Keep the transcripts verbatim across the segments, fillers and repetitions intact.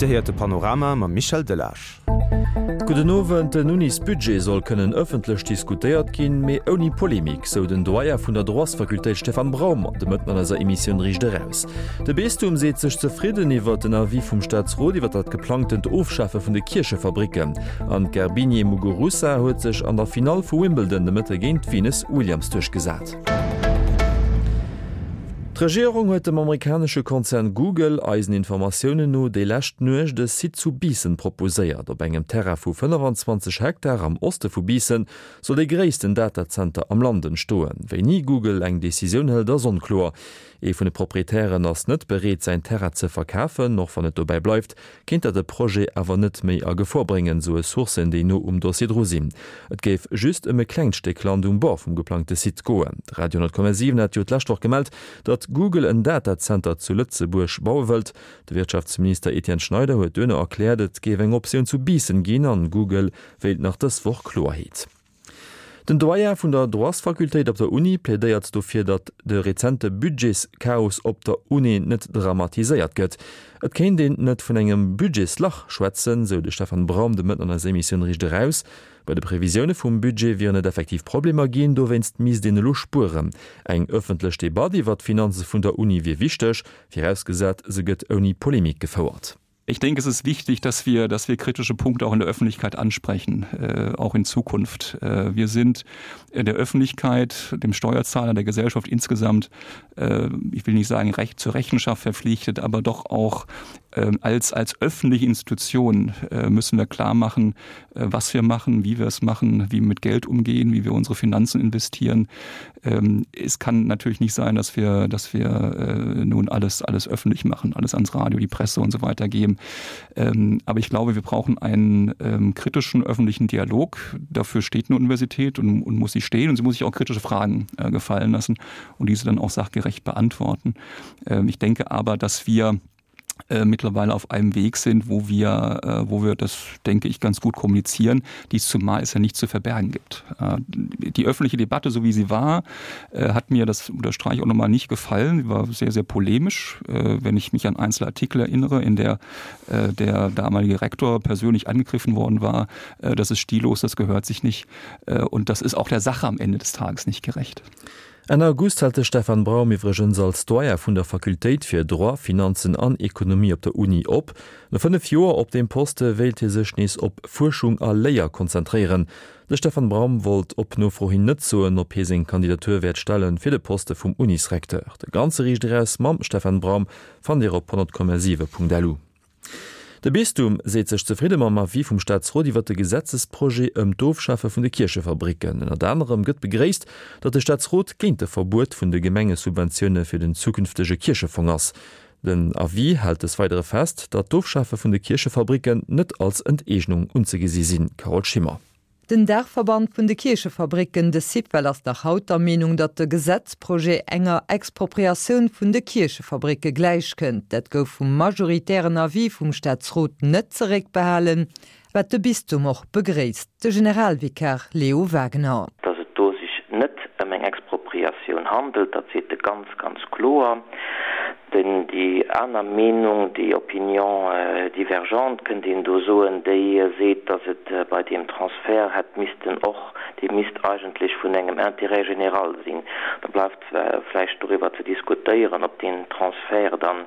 Dir héiert de Panorama mam Michel Delage. Gudden Owend, Den Unisbudget soll kënnen ëffentlech diskutéiert ginn, mee ouni Polemik, sou den Doyen vun der Droitsfakultéit Stefan Braum de Mëtten an eiser Emissioun Riicht Eraus. De Bistum seet sech zefridden iwwert den Avis vum Staatsrot iwwer dat geplangtent Ofschafe vun de Kierchefabricken. An d'Garbiñe Muguruza huet sech an der Finall vu Wimbledon de Mëtte géint d'Venus Williams duerchgesat. D'Regierung huet dem amerikanesche Konzern Google eisen Informatiounen no déi lescht Nuecht e Site zu Biissen proposéiert. Op engem Terrain vu fënnefanzwanzeg Hektar am Oste vu Biissen soll dee gréissten Datazenter am Land entstoen. Wéini Google eng Decisioun hëlt, ass onkloer. Ee vun de Proprietären ass net bereet, säin Terrain ze verkafen. Och wann et dobäi bleift, kéint dat de Projet awer net méi a Gefor bréngen, soe Sourcen, déi no um Dossier dru sinn. Et géif just ëm e klengt Stéck Land um Bord vum geplangte Site goen. De Radio honnert Komma siwen hat jo d'lescht Woch gemellt, datt Google en Datazenter zu Lëtzebuerg baue wëllt. De Wirtschaftsminister Etienne Schneider huet duerno erkläert, et géif eng Optioun zu Biissen ginn an Google wéilt nach dës Woch Kloerheet. Den Doyen vun der Droitsfakultéit op der Uni plädéiert dofir, datt de rezente Budgetschaos op der Uni net dramatiséiert gëtt. Et kéint een net vun engem Budgetslach schwätzen, sou de Stefan Braum de Mëtten an eiser Emissioun Riicht Eraus. Bei de Previsioune vum Budget wieren et effektiv Problemer ginn, dowéinst misst een elo spueren. Eng ëffentlech Debatt iwwer d'Finanze vun der Uni wier wichteg, virausgesat se gëtt ouni Polemik gefouert. Ich denke, es ist wichtig, dass wir, dass wir kritische Punkte auch in der Öffentlichkeit ansprechen, äh, auch in Zukunft. Äh, wir sind in der Öffentlichkeit, dem Steuerzahler, der Gesellschaft insgesamt, äh, ich will nicht sagen recht zur Rechenschaft verpflichtet, aber doch auch äh, als, als öffentliche Institution äh, müssen wir klar machen, äh, was wir machen, wie wir es machen, wie wir mit Geld umgehen, wie wir unsere Finanzen investieren. Ähm, es kann natürlich nicht sein, dass wir, dass wir äh, nun alles, alles öffentlich machen, alles ans Radio, die Presse und so weiter geben. Ähm, aber ich glaube, wir brauchen einen ähm, kritischen öffentlichen Dialog. Dafür steht eine Universität und, und muss sie stehen und sie muss sich auch kritische Fragen äh, gefallen lassen und diese dann auch sachgerecht beantworten. Ähm, ich denke aber, dass wir äh, mittlerweile auf einem Weg sind, wo wir, äh, wo wir das, denke ich, ganz gut kommunizieren, dies zumal es ja nichts zu verbergen gibt. Äh, die öffentliche Debatte, so wie sie war, äh, hat mir, das unterstreiche ich auch nochmal, nicht gefallen. Sie war sehr, sehr polemisch, äh, wenn ich mich an einzelne Artikel erinnere, in der äh, der damalige Rektor persönlich angegriffen worden war. Äh, das ist stillos, das gehört sich nicht. Äh, und das ist auch der Sache am Ende des Tages nicht gerecht. Enn August hält de Stefan Braum iwwregens als Doyen vun der Fakultéit fir Droit, Finanzen an Ekonomie op der Uni op. No fënnef Joer op deem Poste wéilt hie sech nees op Fuerschung a Léier konzentréieren. De Stefan Braum wollt op Nofro hin net soen, ob hie seng Kandidatur wäert stelle fir de Poste vum Unisrecteur. De ganze Riicht Eraus mam Stefan Braum fannt Dir op honnert Komma siwe Punkt lu. De Bistum seet sech zefridde mam Avis vum Staatsrot iwwer de Gesetzesprojet ëm d'Ofschafe vun de Kierchefabricken. Ënnert anerem gëtt begréisst, datt de Staatsrot géint de Verbuet vun de Gemengesubventioune fir den zukünftege Kierchefong ass. Den Avis hält des Weidere fest, datt d'Ofschafe vun de Kierchefabricken net als Enteegnung unzegesi sinn. Carole Schimmer. Den Daachverband vun de Kierchefabricken, de Syfel, ass nach haut der Meenung, datt de Gesetzprojet enger Expropriatioun vun de Kierchefabricke gläichkënnt. Dat gouf vum majoritären Avis vum Staatsrot net zeréckbehalen, wat de Bistum och begréisst. De Generalvikar Leo Wagener. Datt et do sech net ëm eng Expropriatioun handelt, dat seet e ganz, ganz kloer. Denn déi aner Meenung, déi Opinion divergente kënnt een do soen, déi seet, datt et bei deem Transfert hätt missten och, dee misst eigentlech vun engem Intérêt général sinn. Da bleift vläicht doriwwer ze diskutéieren, ob deen Transfert dann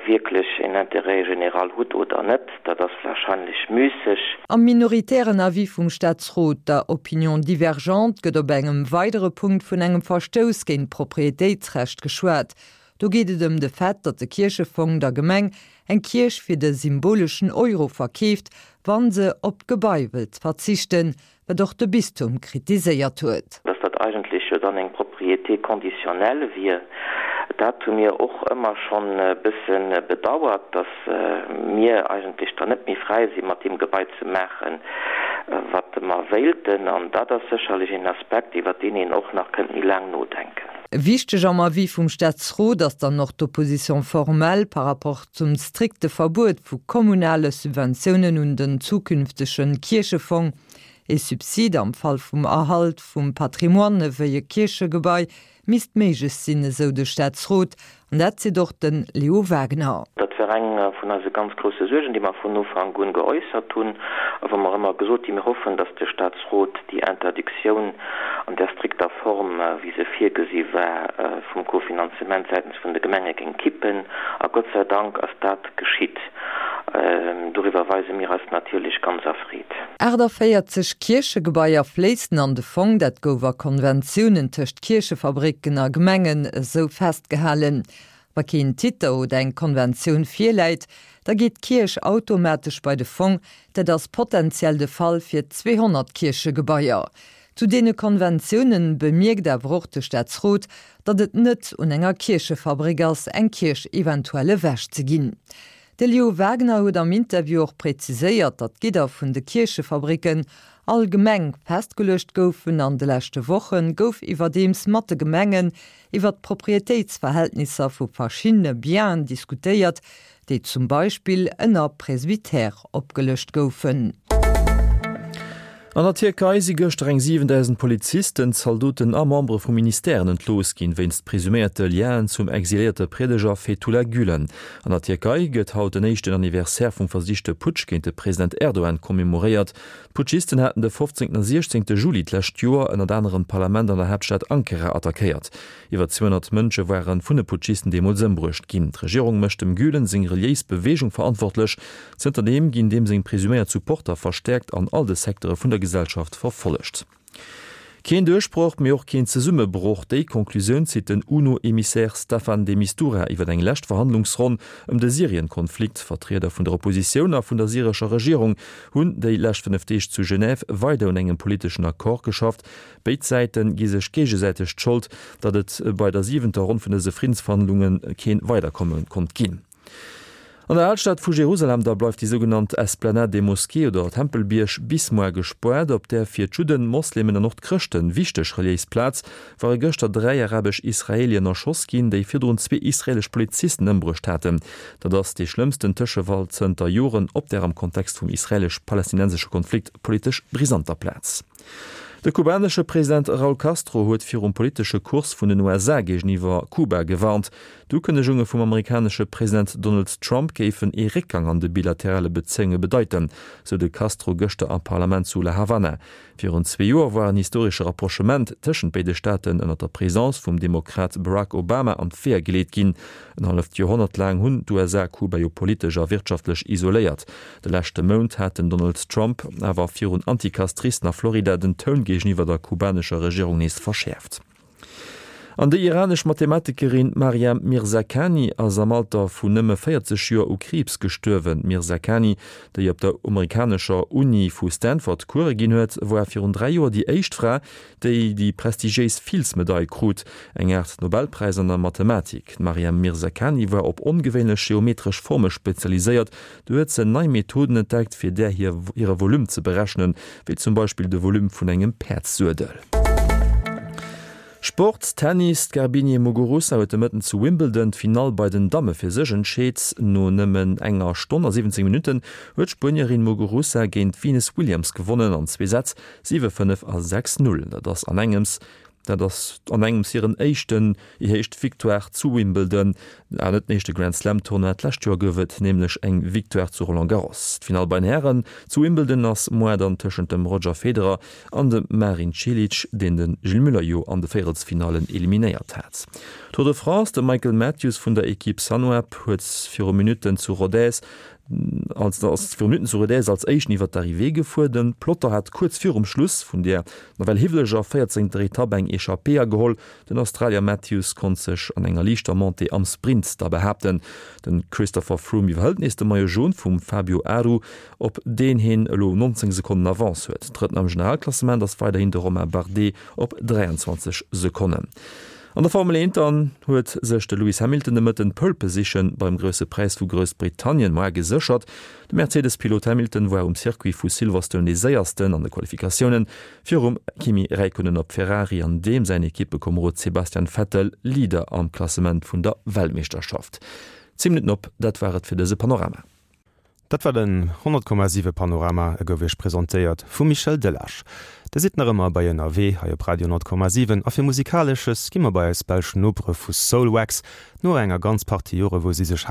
wierklech en Intérêt général hutt oder net. Dat ass wahrscheinlech müsseg. Am minoritären Avis vum Staatsrot, der Opinion divergente, gëtt op engem weidere Punkt vun engem Verstouss géint d'Proprietéitsrecht geschwat. Do geet et ëm de Fait, datt de Kierchefong der Gemeng eng Kierch fir de symboleschen Euro verkeeft, wa se op d'Gebai wëllt verzichten, wat och de Bistum kritiséiert huet. Datt dat eigentlech jo dann eng Propriété conditionnelle wier, dat hu mir och ëmmer schonn e bësse bedauert, datt mir eigentlech dann net méi fräi si mat deem Gebai ze maachen, wat mer wéilten. An dat ass sécherlech een Aspekt, iwwer deen een och nach kënnt méi laang nodenken. Wichteg am Avis vum Staatsrot ass dann och d'Opposition formelle par rapport zum strikte Verbuet vu kommunale Subventiounen un den zukünftege Kierchefong. Ee Subsid am Fall vum Erhalt vum Patrimoine wéi e Kierchegebai misst méiglech sinn, esou de Staatsrot. An dat seet och de Leo Wagener. Dat war eng vun eise ganz grousse Suergen, déi mer vun Ufank un geäussert hunn a wou mer ëmmer gesot hunn, mir hoffen, dass de Statsrot déi Interdictioun an där strikter Form, wéi se virgesi war, vum Kofinanzement säitens vun de Gemenge géing kippen. A Gott sei Dank ass dat geschitt. Doriwwer weise mir eis natierlech ganz erfreet. Aachtavéierzeg Kierchegebaier fléissen an de Fong, dat gouf a Konventiounen tëscht Kierchefabricken a Gemengen esou festgehalen. Wa keen Titer oder eng Konventioun virläit, da geet d'Kierch automatesch bei de Fong. Dat ass potenziell de Fall fir zweehonnert Kierchegebaier. Zu deene Konventiounen bemierkt awer och de Staatsrot, datt et net un enger Kierchefabrik ass, eng Kierch eventuell ewech ze ginn. De Leo Wagener huet am Interview och präziséiert, datt d'Gidder vun de Kierchefabricken allgemeng festgeluecht goufen. An de leschte Woche gouf iwwerdeems mat de Gemengen iwwer d'Proprietéitsverhältnisser vu verschiddene Bienen diskutéiert, déi zum Beispill ënner Presbytère opgelëscht goufen. An der Tierkei si gëschter eng siwendausend Polizisten, Zaldoten a Membere vu Ministèren entlooss ginn, wéinst presuméierte Lienen zum exiléierte Priedeger Fethullah Gülen. An der Tierkei gëtt haut den éischten Anniversaire vum versichte Putsch géint de President Erdogan commemoréiert. D'Putschisten haten de fofzéngten a siechzéngte Juli d'lescht Joer ënnert anerem d'Parlament an der Haaptstad Ankara attackéiert. Iwwer zweehonnert Mënsche ware vun de Putschisten deemools ëmbruecht ginn. D'Regierung mécht dem Gülen seng reliéis Beweegung verantwortlech. Zënterdeem ginn deem seng presuméiert Supporter verstäerkt an all de Secteure vun der Gesellschaft verfollegt. Keen Duerchbroch, mee och keen Zesummebroch, déi Conclusioun zitt den UNO-Emissär Staffan de Mistura iwwer eng lescht Verhandlungsronn ëm de Syrien-Konflikt. Vertrieder vun der Oppositioun a vun der syrescher Regierung hunn déi lescht fënnef Deeg zu Genève weider un engem politeschen Accord geschafft. Béid Säite gi sech géigesäiteg d'Schold, datt et bei der siwenter Ronn vun dëse Friddensverhandlunge keen Weiderkomme konnt ginn. An der Alstad vu Jerusalem da bleift déi sougenannt Esplanade des Mosquées oder Tempelbierg bis muer gespoart. Op där fir d'Judden, d'Moslemen an och d'Chrëschten wichteg reliéis Plaz ware gëschter dräi arabesch Israelien erschoss ginn, déi virdrun zwee israelesch Polizisten ëmbruecht haten. Dat ass dee schlëmmsten Tëschefall zënter Joren op där am Kontext vum israelesch-palästinensesche Konflikt politesch brisanter Plaz. De kubanesche President Raúl Castro huet virum politesche Kurs vun den U S A géigeniwwer Kuba gewarnt. D'Ukënnegunge vum amerikanesche President Donald Trump géifen ee Réckgang an de bilaterale Bezéiunge bedeiten, sou de Castro gëschter am Parlament zu La Havana. Virun zwee Joer war en historesche Rapprochement tëschent béide Staaten ënner der Presidence vum Demokrat Barack Obama an d'Weeër geleet ginn. En halleft Joerhonnert laang hunn d'U S A Kuba jo politesch a wirtschaftlech isoléiert. De leschte Mount hat den Donald Trump awer virun Anticastristen a Florida den Toun géigeniwwer der kubanescher Regierung nees verschäerft. An déi iranesch Mathematikerin Maryam Mirzakhani ass am Alter vun nëmme véierzeg Joer u Kriibs gestuerwen. D'Mirzakhani, déi op der amerikanescher Uni vu Stanford Course ginn huet, war virun dräi Joer déi éischt Fra, déi déi prestigiéis Fields-Medail krut, eng Aart Nobelpräis an der Mathematik. D'Maryam Mirzakhani war op ongewéinlech geometresch Forme spezialiséiert. Do huet se nei Methoden entdeckt, fir där hire Volume ze berechnen, wéi zum Beispill de Volume vun engem Päerdssuedel. Sport, Tennis, D'Garbiñe Muguruza huet de Mëtten zu Wimbledon d'Finall bei den Damme fir sech entscheet. No nëmmen enger Stonn a siwwenzéng Minutten huet d'Spuenierin Muguruza géint d'Venus Williams gewonnen an zwee Sätz, siwe fënnef a sechs null. Dat ass an engems dat ass an engems hiren éischten hir éischt Victoire zu Wimbledon, ah net den éischte Grand Slam Tournoi, d'lescht Joer gouf et nämlech eng Victoire zu Roland Garros. D'Finall bei den Hären zu Wimbledon ass muer dann tëschent dem Roger Federer an dem Marin Cilic, deen de Gilles Müller jo an de Véierelsfinallen eliminéiert hat. Tour de France, De Michael Matthews vun der Ekipp Sunweb huet viru Minutten zu Rodez als ass viru Minutten zu Rodez als éischten iwwer d'Arrivée gefuer. De Peloton hat kuerz virum Schluss vun der nawell hiwweleger véierzéngter Etapp eng Echappée ageholl. Den Australier Matthews konnt sech an enger liichter Montée am Sprint da behaapten. De Christopher Froome iwwerhëlt nees de Maillot Jaune vum Fabio Aru, op deen hien elo nonzéng Sekonnen Avance huet. Drëtten am Generalklassement ass weiderhin de Romain Bardet op dräianzwanzeg Sekonnen. An der Formel eent dann huet sech de Lewis Hamilton de Mëtten d'Pole Position beim Grousse Präis vu Groussbritannien moar geséchert. De Mercedes-Pilot Hamilton war um Circuit vu Silverstone dee séiersten an de Qualifikatiounen, virum Kimi Räikkönen op Ferrari an deem säin Ekippekomerod Sebastian Vettel, Leader am Klassement vun der Weltmeeschterschaft. Zéng Minutten op, dat war et fir dëse Panorama. Dat war den honnert Komma siwe Panorama, e gouf Iech presentéiert vum Michel Delage. Dir sidd nach ëmmer bei Ënnerwee hei op Radio honnert Komma siwen a fir Musikalesches gi mer bei eis belsch Nopere vu Soulwax. No enger ganz Partie Jore wou si sech